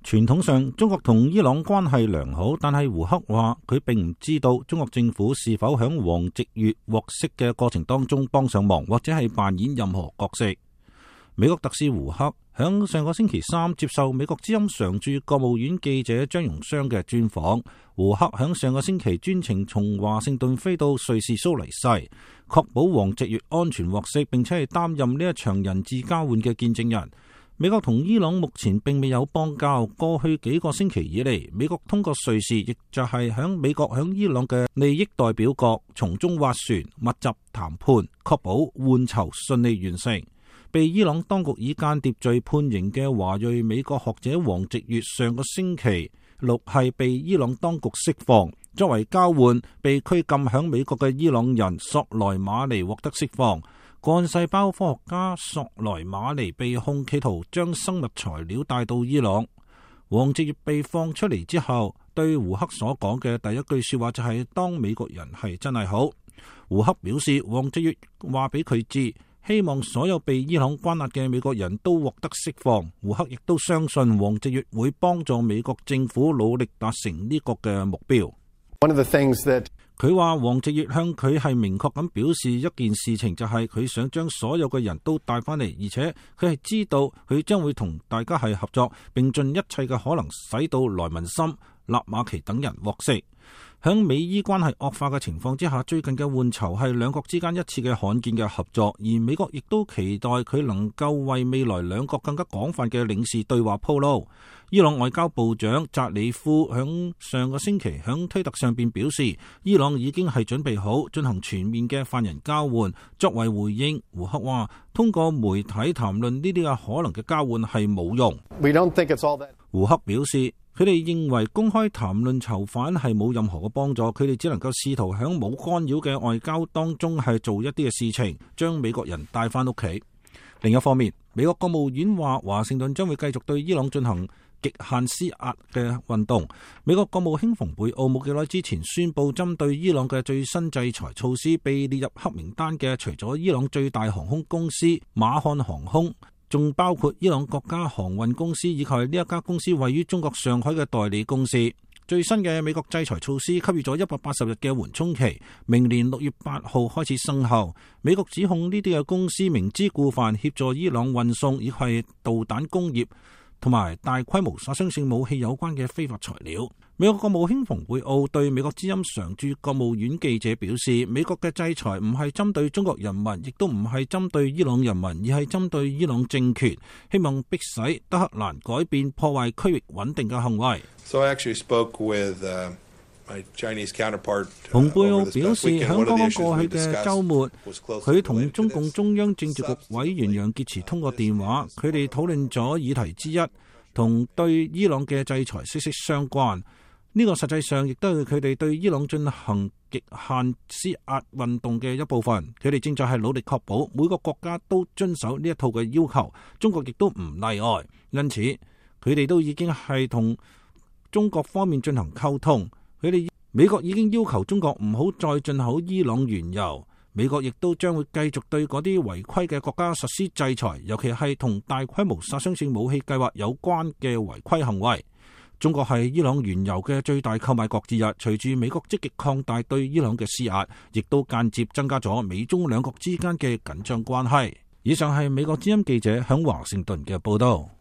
傳統上，中國同伊朗關係良好，但係胡克話佢並唔知道中國政府是否響王直月獲釋嘅過程當中幫上忙，或者係扮演任何角色。美國特使胡克響上個星期三接受美國之音常駐國務院記者張榮湘嘅專訪。胡克響上個星期專程從華盛頓飛到瑞士蘇黎世，確保王直月安全獲釋，並且係擔任呢一場人質交換嘅見證人。美國同伊朗目前並未有邦交，過去幾個星期以嚟，美國通過瑞士，亦就係響美國響伊朗嘅利益代表國，從中斡旋、密集談判，確保換囚順利完成。被伊朗當局以間諜罪判刑嘅華裔美國學者王直月，上個星期六係被伊朗當局釋放，作為交換，被拘禁響美國嘅伊朗人索萊馬尼獲得釋放。幹細胞科學家索萊馬尼被控企圖將生物材料帶到伊朗。王直月被放出嚟之後，對胡克所講嘅第一句說話就係當美國人係真係好。胡克表示，王直月話俾佢知，希望所有被伊朗關押嘅美國人都獲得釋放。胡克亦都相信王直月會幫助美國政府努力達成呢個嘅目標。佢話王直月向佢係明確咁表示一件事情，就係佢想將所有嘅人都帶翻嚟，而且佢係知道佢將會同大家係合作，並盡一切嘅可能使到萊文森、納馬奇等人獲釋。響美伊關係惡化嘅情況之下，最近嘅換囚係兩國之間一次嘅罕見嘅合作，而美國亦都期待佢能夠為未來兩國更加廣泛嘅領事對話鋪路。伊朗外交部長扎里夫響上個星期響推特上邊表示，伊朗已經係準備好進行全面嘅犯人交換。作為回應，胡克話通過媒體談論呢啲嘅可能嘅交換係冇用。胡克表示，佢哋認為公開談論囚犯係冇任何嘅幫助，佢哋只能夠試圖喺冇干擾嘅外交當中係做一啲嘅事情，將美國人帶翻屋企。另一方面，美國國務院話華盛頓將會繼續對伊朗進行極限施壓嘅運動。美國國務卿蓬佩奧冇幾耐之前宣布，針對伊朗嘅最新制裁措施，被列入黑名單嘅除咗伊朗最大航空公司馬漢航空，仲包括伊朗國家航運公司以及呢一家公司位於中國上海嘅代理公司。最新嘅美國制裁措施給予咗180日嘅緩衝期，明年6月8號開始生效。美國指控呢啲嘅公司明知故犯，協助伊朗運送以及導彈工業同埋大規模殺傷性武器有關嘅非法材料。美國國務卿蓬佩奧對美國之音常駐國務院記者表示，美國嘅制裁唔係針對中國人民，亦都唔係針對伊朗人民，而係針對伊朗政權，希望迫使德黑蘭改變破壞區域穩定嘅行為。蓬佩奧表示，響剛剛過去嘅週末，佢同中共中央政治局委員楊潔篪通過電話，佢哋討論咗議題之一，同對伊朗嘅制裁息息相關。呢個實際上亦都係佢哋對伊朗進行極限施壓運動嘅一部分。佢哋正在係努力確保每個國家都遵守呢一套嘅要求，中國亦都唔例外。因此，佢哋都已經係同中國方面進行溝通。美國已經要求中國唔好再進口伊朗原油。美國亦都將會繼續對嗰啲違規嘅國家實施制裁，尤其係同大規模殺傷性武器計劃有關嘅違規行為。中國係伊朗原油嘅最大購買國之一，隨住美國積極擴大對伊朗嘅施壓，亦都間接增加咗美中兩國之間嘅緊張關係。以上係美國之音記者響華盛頓嘅報道。